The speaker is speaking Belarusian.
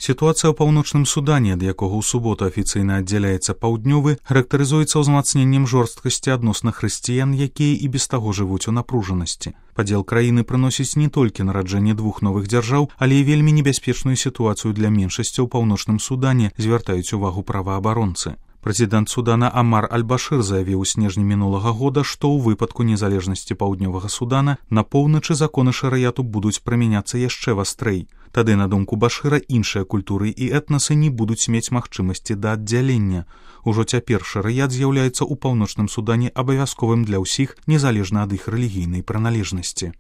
Сітуацыя ў паўночным Судане, ад якога ў суботу афіцыйна аддзяляецца паўднёвы, характарызуецца ўзмацненнем жорсткасці адносна хрысціян, якія і без таго жывуць у напружанасці. Падзел краіны прыносіць не толькі нараджэнне двух новых дзяржаў, але і вельмі небяспечную сітуацыю для меншасцяў у паўночным Судане, звяртаюць увагу праваабаронцы. Прэзідэнт Судана Амар Аль-Башыр заявіў у снежні мінулага года, што ў выпадку незалежнасці паўднёвага Судана на поўначы законы шарыяту будуць прымяняцца яшчэ вастрэй. Тады, на думку Башыра, іншыя культуры і этнасы не будуць мець магчымасці да аддзялення. Ужо цяпер шарыят з'яўляецца ў паўночным Судане абавязковым для ўсіх, незалежна ад іх рэлігійнай прыналежнасці.